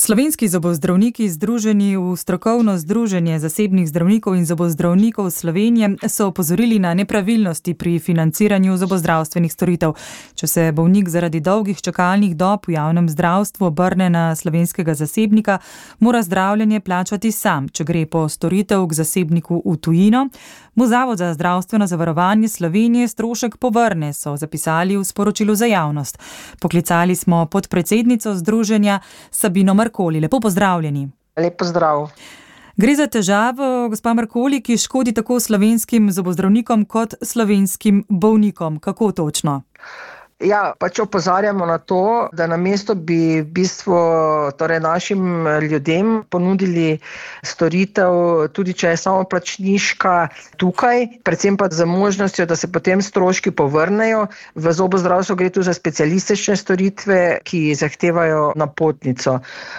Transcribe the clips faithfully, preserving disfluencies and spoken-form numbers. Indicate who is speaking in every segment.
Speaker 1: Slovenski zobozdravniki, združeni v strokovno združenje zasebnih zdravnikov in zobozdravnikov Slovenije, so opozorili na nepravilnosti pri financiranju zobozdravstvenih storitev. Če se bolnik zaradi dolgih čakalnih dob v javnem zdravstvu obrne na slovenskega zasebnika, mora zdravljenje plačati sam. Če gre po storitev k zasebniku v tujino, mu Zavod za zdravstveno zavarovanje Slovenije strošek povrne, so zapisali v sporočilu za javnost. Poklicali smo podpredsednico združenja Sabino Markoli. Lepo pozdravljeni.
Speaker 2: Lep pozdrav.
Speaker 1: Gre za težavo, gospa Markoli, ki škodi tako slovenskim zobozdravnikom kot slovenskim bolnikom. Kako točno?
Speaker 2: Ja, pač opozarjamo na to, da namesto bi v bistvu torej našim ljudem ponudili storitev, tudi če je samoplačniška tukaj, predvsem pa za možnostjo, da se potem stroški povrnejo. V zobozdravstvu gre tu za specialistične storitve, ki zahtevajo napotnico.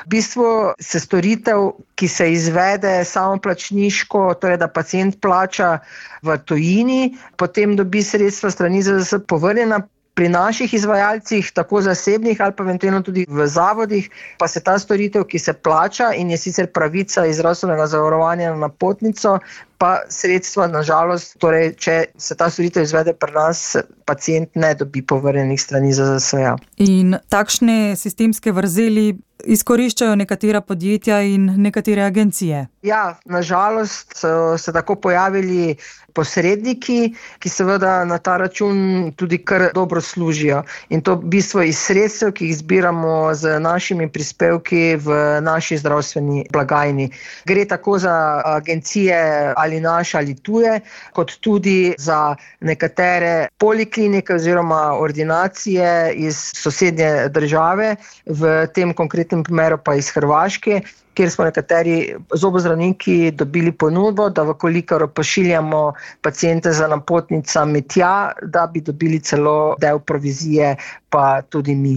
Speaker 2: V bistvu se storitev, ki se izvede samoplačniško, torej da pacient plača v tujini, potem dobi sredstva strani Z Z S povrnjena. Pri naših izvajalcih, tako zasebnih ali pa eventualno tudi v zavodih, pa se ta storitev, ki se plača in je sicer pravica iz zdravstvenega zavarovanja na napotnico, pa sredstva, nažalost, torej, če se ta storitev izvede pri nas, pacient ne dobi povrnjenih strani Z Z S-ja.
Speaker 1: In takšne sistemske vrzeli izkoriščajo nekatera podjetja in nekatere agencije.
Speaker 2: Ja, nažalost so se tako pojavili posredniki, ki seveda na ta račun tudi kar dobro služijo. In to v bistvu iz sredstev, ki jih zbiramo z našimi prispevki v naši zdravstveni blagajni. Gre tako za agencije ali naše ali tuje, kot tudi za nekatere poliklinike oziroma ordinacije iz sosednje države, v tem konkretnem primeru pa iz Hrvaške, kjer smo nekateri zobozdravniki dobili ponudbo, da vkolikor pošiljamo paciente za napotnicami tja, da bi dobili celo del provizije, pa tudi mi.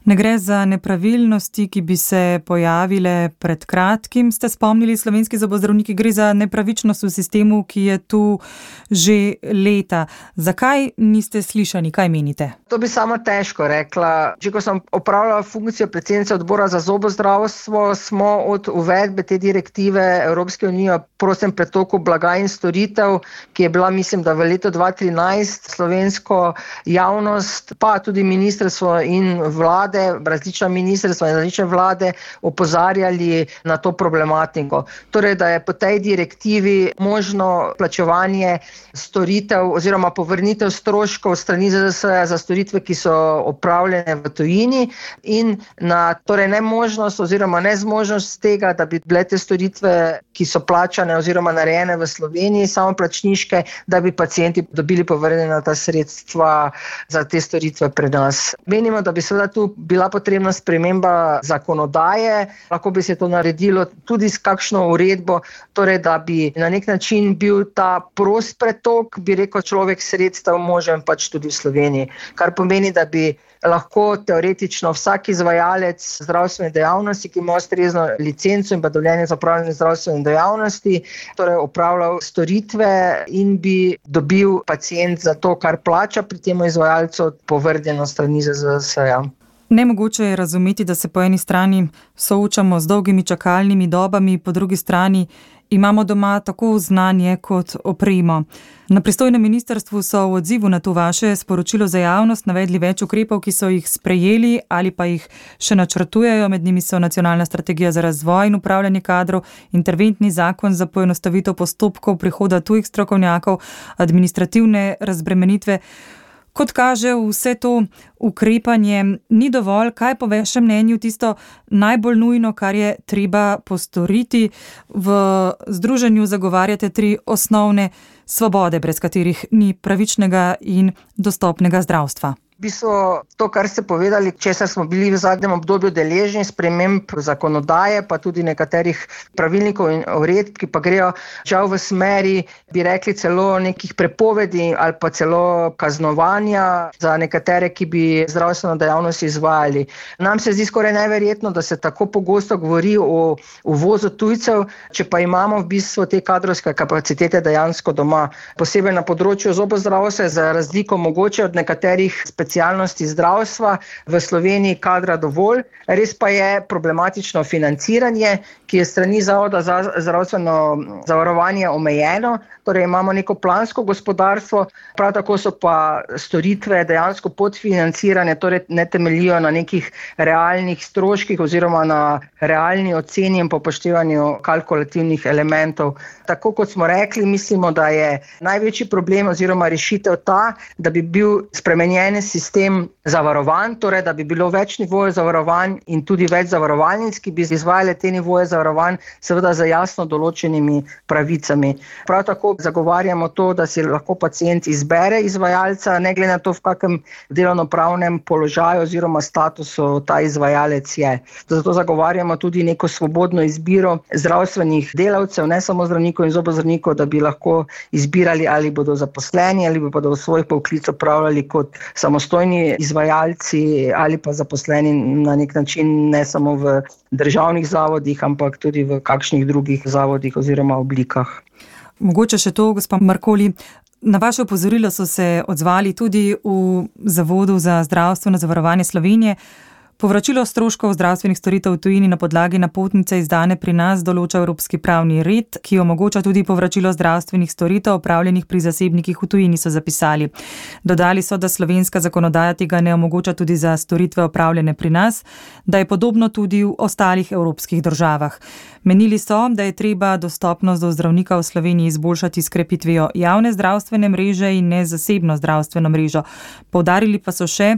Speaker 1: Ne gre za nepravilnosti, ki bi se pojavile pred kratkim, ste spomnili slovenski zobozdravniki, gre za nepravičnost v sistemu, ki je tu že leta. Zakaj niste slišani, kaj menite?
Speaker 2: To bi sama težko rekla. Če ko sem opravljala funkcijo predsednice odbora za zobozdravstvo, smo od uvedbe te direktive Evropske unije o prostem pretoku blaga in storitev, ki je bila, mislim, da v letu dva tisoč trinajst slovensko javnost, pa tudi ministrstvo in vlade, različna ministrstva in različne vlade opozarjali na to problematiko. Torej, da je po tej direktivi možno plačevanje storitev oziroma povrnitev stroškov strani Z Z S za storitve, ki so opravljene v tujini, in na torej nemožnost oziroma nezmožnost tega, da bi bile te storitve, ki so plačane oziroma narejene v Sloveniji, samoplačniške, da bi pacienti dobili povrnjena ta sredstva za te storitve pri nas. Menimo, da bi seveda tu bila potrebna sprememba zakonodaje, lahko bi se to naredilo tudi s kakšno uredbo, torej da bi na nek način bil ta prost pretok, bi rekel človek, sredstev možen pač tudi v Sloveniji, kar pomeni, da bi lahko teoretično vsak izvajalec zdravstvene dejavnosti, ki ima ustrezno licenco in pa dovoljenje za opravljanje zdravstvene dejavnosti, torej opravljal storitve in bi dobil pacient za to, kar plača pri tem izvajalcu, povrnjeno strani Z Z S-ja.
Speaker 1: Nemogoče je razumeti, da se po eni strani soočamo z dolgimi čakalnimi dobami, po drugi strani imamo doma tako znanje kot opremo. Na pristojnem ministrstvu so v odzivu na to vaše sporočilo za javnost navedli več ukrepov, ki so jih sprejeli ali pa jih še načrtujejo. Med njimi so nacionalna strategija za razvoj in upravljanje kadrov, interventni zakon za poenostavitev postopkov prihoda tujih strokovnjakov, administrativne razbremenitve. Kot kaže, vse to ukrepanje ni dovolj. Kaj po vašem mnenju tisto najbolj nujno, kar je treba postoriti? V združenju zagovarjate tri osnovne svobode, brez katerih ni pravičnega in dostopnega zdravstva.
Speaker 2: V bistvu to, kar ste povedali, česar smo bili v zadnjem obdobju deležni, sprememb zakonodaje, pa tudi nekaterih pravilnikov in uredb, ki pa grejo žal v smeri, bi rekli, celo nekih prepovedi ali pa celo kaznovanja za nekatere, ki bi zdravstveno dejavnost izvajali. Nam se zdi skoraj neverjetno, da se tako pogosto govori o uvozu tujcev, če pa imamo v bistvu te kadrovske kapacitete dejansko doma. Posebej na področju zobozdravstva, za razliko mogoče od nekaterih specializacij specialnosti zdravstva v Sloveniji kadra dovolj, res pa je problematično financiranje, ki je strani Zavoda za zdravstveno zavarovanje omejeno, torej imamo neko plansko gospodarstvo, prav tako so pa storitve dejansko podfinancirane, torej ne temeljijo na nekih realnih stroških oziroma na realni oceni in popoštevanju kalkulativnih elementov. Tako kot smo rekli, mislimo, da je največji problem oziroma rešitev ta, da bi bil spremenjen sistem zavarovanj, torej da bi bilo več nivojev zavarovanj in tudi več zavarovalnic, ki bi izvajale te nivoje zavarovanj, seveda z jasno določenimi pravicami. Prav tako zagovarjamo to, da si lahko pacient izbere izvajalca, ne glede na to, v kakem delovnopravnem položaju oziroma statusu ta izvajalec je. Zato zagovarjamo tudi neko svobodno izbiro zdravstvenih delavcev, ne samo zdravnikov in zobozdravnikov, da bi lahko izbirali, ali bodo zaposleni ali bodo svoj poklic opravljali kot samostojni izvajalci ali pa zaposleni na nek način ne samo v državnih zavodih, ampak tudi v kakšnih drugih zavodih oziroma oblikah.
Speaker 1: Mogoče še to, gospa Markoli, na vaše opozorilo so se odzvali tudi v Zavodu za zdravstveno zavarovanje Slovenije. Povračilo stroškov zdravstvenih storitev v tujini na podlagi napotnice izdane pri nas določa evropski pravni red, ki omogoča tudi povračilo zdravstvenih storitev opravljenih pri zasebnikih v tujini, so zapisali. Dodali so, da slovenska zakonodaja tega ne omogoča tudi za storitve opravljene pri nas, da je podobno tudi v ostalih evropskih državah. Menili so, da je treba dostopnost do zdravnika v Sloveniji izboljšati s krepitvijo javne zdravstvene mreže in ne zasebno zdravstveno mrežo. Poudarili pa so še,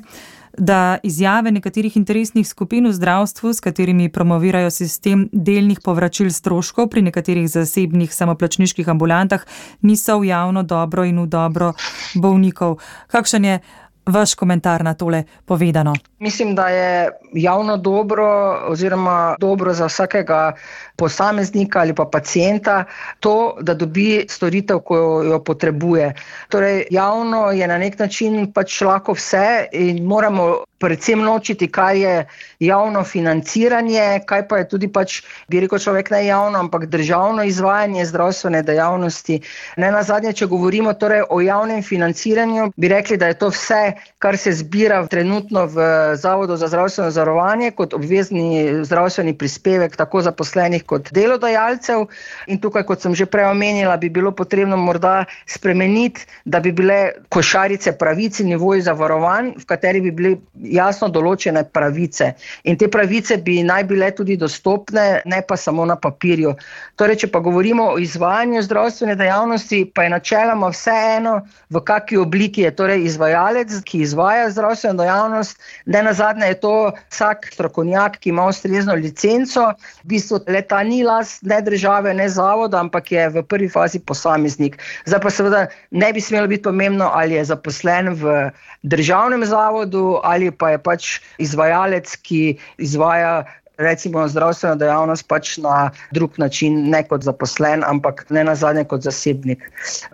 Speaker 1: da izjave nekaterih interesnih skupin v zdravstvu, s katerimi promovirajo sistem delnih povračil stroškov pri nekaterih zasebnih samoplačniških ambulantah, niso v javno dobro in v dobro bolnikov. Kakšen je vaš komentar na tole povedano?
Speaker 2: Mislim, da je javno dobro oziroma dobro za vsakega posameznika ali pa pacienta to, da dobi storitev, ko jo potrebuje. Torej, javno je na nek način pač lahko vse in moramo predvsem ločiti, kaj je javno financiranje, kaj pa je tudi pač, bi rekel človek, ne javno, ampak državno izvajanje zdravstvene dejavnosti. Ne nazadnje, če govorimo torej o javnem financiranju, bi rekli, da je to vse, kar se zbira trenutno v Zavodu za zdravstveno zavarovanje kot obvezni zdravstveni prispevek tako zaposlenih kot delodajalcev. In tukaj, kot sem že prej omenila, bi bilo potrebno morda spremeniti, da bi bile košarice pravic in nivoji zavarovanj, v kateri bi bili jasno določene pravice. In te pravice bi naj bile tudi dostopne, ne pa samo na papirju. Torej, če pa govorimo o izvajanju zdravstvene dejavnosti, pa je načeloma vseeno, v kakšni obliki je torej izvajalec, ki izvaja zdravstveno dejavnost. Ne nazadnje je to vsak strokovnjak, ki ima ustrezno licenco. V bistvu le-ta ni last ne države, ne zavoda, ampak je v prvi fazi posameznik. Zdaj pa seveda ne bi smelo biti pomembno, ali je zaposlen v državnem zavodu ali pa je pač izvajalec, ki izvaja recimo zdravstveno dejavnost pač na drug način, ne kot zaposlen, ampak ne nazadnje kot zasebnik.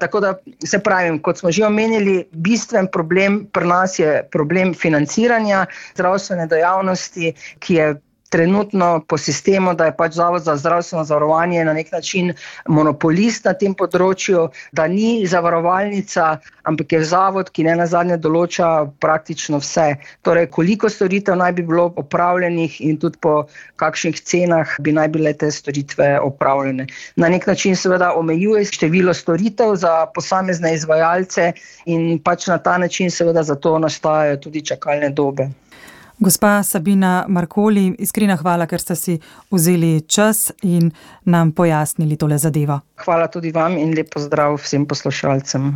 Speaker 2: Tako da se pravim, kot smo že omenili, bistven problem pri nas je problem financiranja zdravstvene dejavnosti, ki je trenutno po sistemu, da je pač Zavod za zdravstveno zavarovanje na nek način monopolist na tem področju, da ni zavarovalnica, ampak je zavod, ki ne nazadnje določa praktično vse. Torej, koliko storitev naj bi bilo opravljenih in tudi po kakšnih cenah bi naj bile te storitve opravljene. Na nek način seveda omejuje število storitev za posamezne izvajalce in pač na ta način seveda zato nastajajo tudi čakalne dobe.
Speaker 1: Gospa Sabina Markoli, iskrena hvala, ker ste si vzeli čas in nam pojasnili tole zadevo.
Speaker 2: Hvala tudi vam in lep pozdrav vsem poslušalcem.